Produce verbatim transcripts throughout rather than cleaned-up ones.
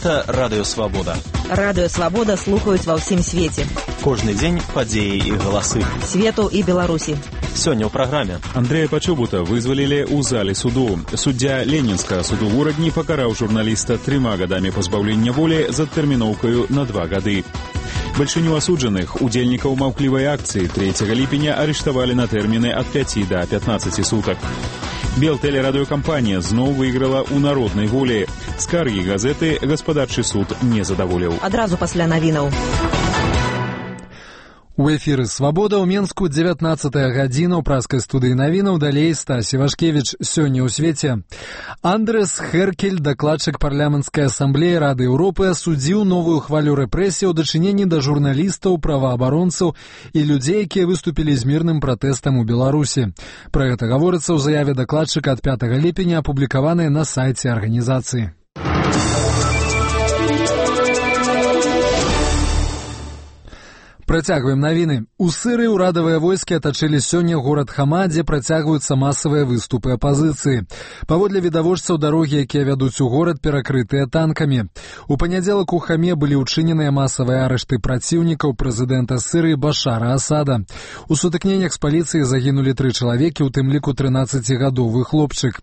Гэта Радыё Свабода. Радыё Свабода слухаюць ва ўсім свеце. Кожны дзень падзеі і галасы. Свету і Беларусі. Сёння ў праграме. Андрэя Пачобута вызвалілі ў зале суду. Суддзя Ленінскага суду ў Урадні пакараў журналіста трыма гадамі пазбаўлення волі з адтэрміноўкаю на два гады. Бальшыню асуджаных, удзельнікаў маўклівай акцыі трэцяга ліпеня арыштавалі на тэрміны ад пяці да пятнаццаці сутак. Белтэлерадыёкампанія зноў выйграла ў народнай волі. Скаргі газеты гаспадарчы суд не задаволіў. Адразу пасля навінаў. У эфіры «Свабода» ў Менску дзевятнаццатая гадзіна ў праскай студыі навінаў. Далей Стась Івашкевіч. Сёння ў свеце. Андрес Херкель, дакладчык парламенцкай асамблеі Рады Еўропы, асудзіў новую хвалю рэпрэсій у дачыненні да журналістаў, праваабаронцаў і людзей, якія выступілі з мірным пратэстам у Беларусі. Пра гэта гаворыцца ў заяве дакладчыка ад пятага ліпеня, апублікаванай на сайце арганізацыі. Працягваем навіны. У Сырыі ўрадавыя войскі атачылі сёння горад Хама, дзе працягваюцца масавыя выступы апазіцыі. Паводле відавочцаў, дарогі, якія вядуць у горад, перакрытыя танкамі. У панядзелак у Хаме былі ўчыненыя масавыя арышты праціўнікаў прэзідэнта Сырыі Башара Асада. У сутыкненнях з паліцыяй загінулі тры чалавекі, у тым ліку трынаццацігадовы хлопчык.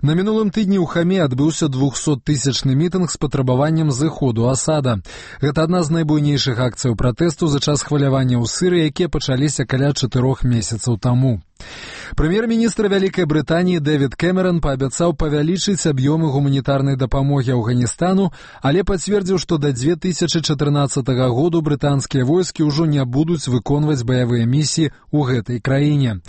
На мінулым тыдні ў Хаме адбыўся двухсоттысячны мітынг з патрабаваннем зыходу Асада. Гэта адна з найбуйнейшых акцыяў пратэсту за час хвалявання ў Сырыі, якія пачаліся каля чатырох месяцаў таму. Прэм'ер-міністр Вялікай Брытаніі Дэвід Кэмерон паабяцаў павялічыць аб'ёмы гуманітарнай дапамогі Афганістану, але пацвердзіў, што да дзве тысячы чатырнаццатага году брытанскія войскі ўжо не будуць выконваць баявыя місіі ў гэтай краіне.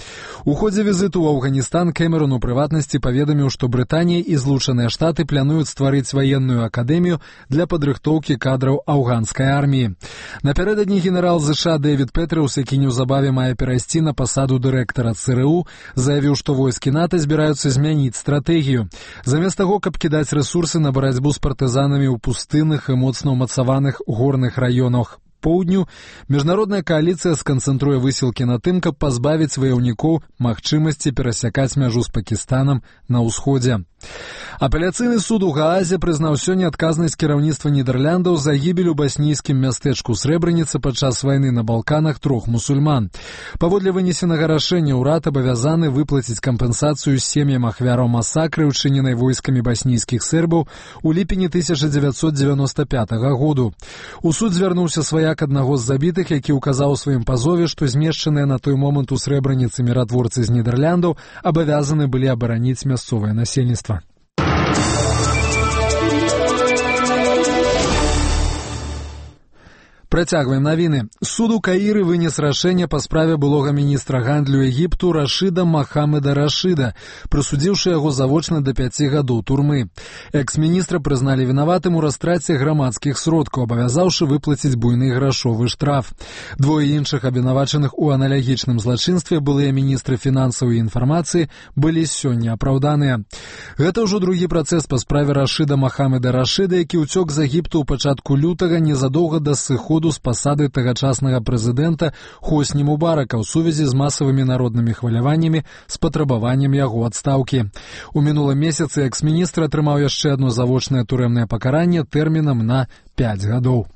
У ходзе візіту ў Афганістан Кэмерон у прыватнасці паведаміў, што Брытанія і Злучаныя Штаты плануюць стварыць ваенную акадэмію для падрыхтоўкі кадраў афганскай арміі. Напярэдадні генерал ЗША Дэвід Петрыус, які неўзабаве мае перайсці на пасаду дырэктара ЦРУ, заявіў, што войскі НАТО збіраюцца змяніць стратэгію. Замест таго, каб кідаць рэсурсы на барацьбу з партызанамі ў пустынных і моцна ўмацаваных горных раёнах поўдню, міжнародная кааліцыя сканцэнтруе высілкі на тым, каб пазбавіць ваяўнікоў магчымасці перасякаць мяжу з Пакістанам на ўсходзе. Апеляцыйны суд у Гаазе прызнаў сёння адказнасць кіраўніцтва Нідэрляндаў за гібель у баснійскім мястэчку Срэбраніца падчас вайны на Балканах трох мусульман. Паводле вынесенага рашэння ўрад абавязаны выплаціць кампенсацыю сем'ям ахвяраў масакры, учыненай войскамі баснійскіх сербаў у ліпені тысяча дзевяцьсот дзевяноста пятага году. У суд звярнуўся сваяк аднаго з забітых, які ўказаў у сваім пазове, што змешчаныя на той момант у Срэбраніцы міратворцы з Нідэрляндаў абавязаны былі абараніць мясцовае насельніцтва. Працягваем навіны. Суд у Каіры вынес рашэнне па справе былога міністра гандлю Егіпту Рашыда Махамеда Рашыда, прысудзіўшы яго завочна да пяці гадоў турмы. Экс-міністра прызналі вінаватым у растраце грамадскіх сродкаў, абавязаўшы выплаціць буйны грашовы штраф. Двое іншых абвінавачаных у аналагічным злачынстве, былыя міністры фінансаў і інфармацыі, былі сёння апраўданыя. Гэта ўжо другі працэс па справе Рашыда Махамеда Рашыда, які ўцёк з Егіпту ў пачатку лютага незадоўга да сыходу з пасады тагачаснага прэзідэнта Хосні Мубарака ў сувязі з масавымі народнымі хваляваннямі з патрабаваннем яго адстаўкі. У мінулым месяцы экс-міністр атрымаў яшчэ адно завочнае турэмнае пакаранне тэрмінам на пяць гадоў.